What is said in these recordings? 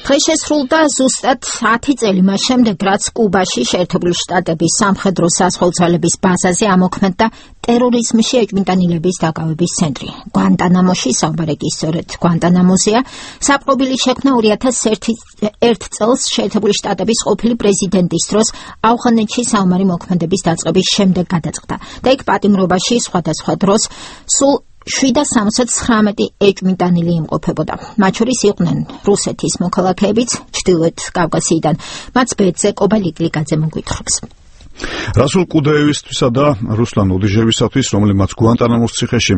დღეს შესრულდა ზუსტად 10 წელი მას შემდეგ, რაც კუბაში შეერთებული შტატების სამხედრო საზღვაო ბაზაზე ამოქმედდა ტერორიზმში ეჭვმიტანილების დაკავების ცენტრი. გვანტანამოში საუბარი კი სწორედ გვანტანამოზეა. საპყრობილი შექმნა 2001 წელს შეერთებული შტატების ყოფილი პრეზიდენტის დროს ავღანეთში საომარი მოქმედების დაწყების შემდეგ გადაწყდა და იქ პატიმრობაში სხვადასხვა დროს სულ 779 ეჭვმიტანილი იმყოფებოდა. მათ შორის იყვნენ რუსეთის მოქალაქეებიც ჩრდილოეთ კავკასიიდან. მათ ბეძე კობალიკლიკაძე მოგვითხრობს. რასულ კუდაევისთვისა და რუსლან ოდიჟევისათვის, რომლებმაც გვანტანამოს ციხეში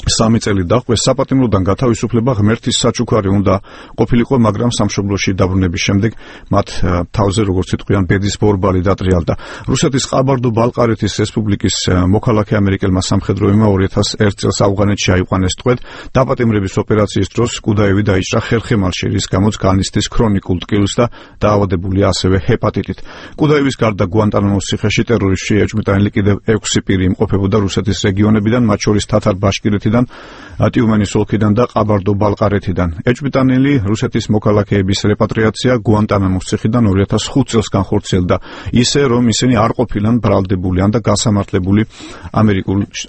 3 წელი დაჰყვეს, საპატიმროდან გათავისუფლება ღმერთის საჩუქარი უნდა ყოფილიყო, მაგრამ სამშობლოში დაბრუნების შემდეგ მათ თავზე, როგორც იტყვიან, ბედის ბორბალი დატრიალდა. რუსეთის ყაბარდო-ბალყარეთის რესპუბლიკის მოქალაქე ამერიკელმა სამხედროებმა 2001 წელს ავღანეთში აიყვანეს ტყვედ. დაპატიმრების ოპერაციის დროს კუდაევი დაიჭრა ხერხემალში, რის გამოც განიცდის ქრონიკულ ტკივილს და დაავადებულია ასევე ჰეპატიტით. კუდაევის გარდა გვანტანამოს ციხეში ტერორიზმში ეჭვმიტანილი კიდევ 6 პირი იმყოფებოდა რუსეთის რეგიონებიდან, მათ შორის თათარ-ბაშკირეთიდან, ტიუმენის ოლქიდან და ყაბარდო-ბალყარეთიდან. ეჭვმიტანილი რუსეთის მოქალაქეების რეპატრიაცია გვანტანამოს ციხიდან 2005 წელს განხორციელდა, ისე რომ ისინი არ ყოფილან ბრალდებული ან და გასამართლებული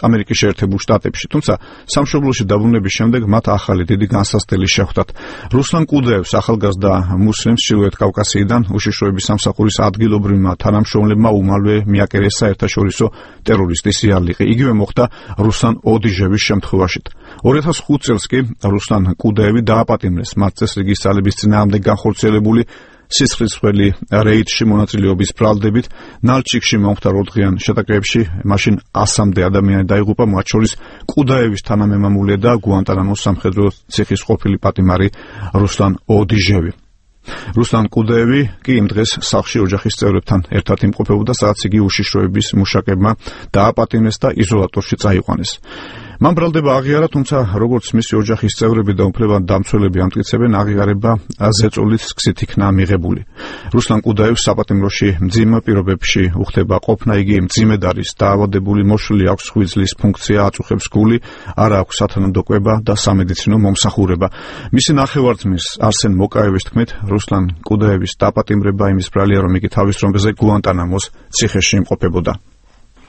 ამერიკის შეერთებულ შტატებში. თუმცა სამშობლოში დაბრუნების შემდეგ მათ ახალი დიდი განსასწრელი შეხვდათ. რუსლან კუდაევს, ახალგაზრდა მუსლიმს ჩრდილოეთ კავკასიიდან უშიშროების სამსახურის ადგილობრივმა თანამშრომლებმა უმალვე მიაკერეს საერთაშორისო ტერორისტის იარლიყი. იგივე მოხდა რუსლან ოდიჟევის შემთხვევაში. 2005 წელს კი რუსლან კუდაევი დააპატიმრეს მათ წესრიგის ძალების წინააღმდეგ განხორციელებული სისხლისღვრელი რეიდში მონაწილეობის ბრალდებით. ნალჩიკში მომხდარ 4 დღიან შეტაკებებში მაშინ 100-მდე ადამიანი დაიღუპა, მათ შორის კუდაევის თანამემამულე და გვანტანამოს სამხედრო ციხის ყოფილი პატიმარი რუსლან ოდიჟევი. რუსლან კუდაევი კი იმ დღეს სახლში ოჯახის წევრებთან ერთად იმყოფებოდა, სადაც იგი უშიშროების მუშაკებმა დააპატიმრეს და იზოლატორში წაიყვანეს. მან ბრალდება აღიარა, თუმცა როგორც მისი ოჯახის წევრები და უფლებადამცველები ამტკიცებენ, აღიარება ზეწოლით გზით იქნა მიღებული. რუსლან კუდაევს საპატიმროში მძიმე პირობებში უხდება ყოფნა, იგი მძიმედ არის დაავადებული, მოშლილი აქვს ღვიძლის ფუნქცია, აწუხებს გული, არ აქვს სათანადო კვება და სამედიცინო მომსახურება. მისი ნახევარ-ძმის არსენ მოკაევის თქმით, რუსლან კუდაევის დაპატიმრება იმის ბრალია, რომ იგი თავის დროზე გვანტანამოს ციხეში იმყოფებოდა.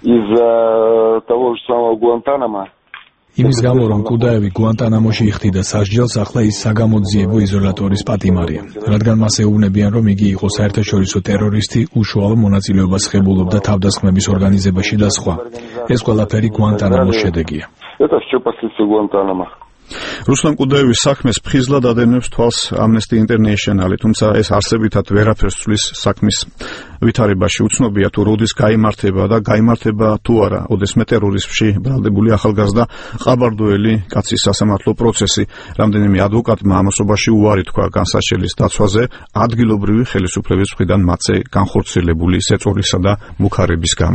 Из-за того же самого Гуантанамо იმის გამო, რომ კუდაევი გვანტანამოში იხდიდა სასჯელს, ახლა ის საგამოძიებო იზოლატორის პატიმარია, რადგან მას ეუბნებიან, რომ იგი იყო საერთაშორისო ტერორისტი, უშუალო მონაწილეობას ღებულობდა თავდასხმების ორგანიზებაში და სხვა. ეს ყველაფერი გვანტანამოს შედეგია. Это все последствия Гуантанамо. რუსლან კუდაევის საქმეს ფხიზლად ადევნებს თვალს Amnesty International, თუმცა ეს არსებითად ვერაფერს ცვლის საქმის ვითარებაში. უცნობია თუ როდის გაიმართება და გაიმართება თუ არა ოდესმე ტერორიზმში ბრალდებული ახალგაზრდა ყაბარდოელი კაცის სასამართლო პროცესი. რამდენიმე ადვოკატმა ამასობაში უარი თქვა განსაჩელის დაცვაზე ადგილობრივი ხელისუფლების მხრიდან მათზე განხორციელებული სეწოლისა და მუქარების გამო.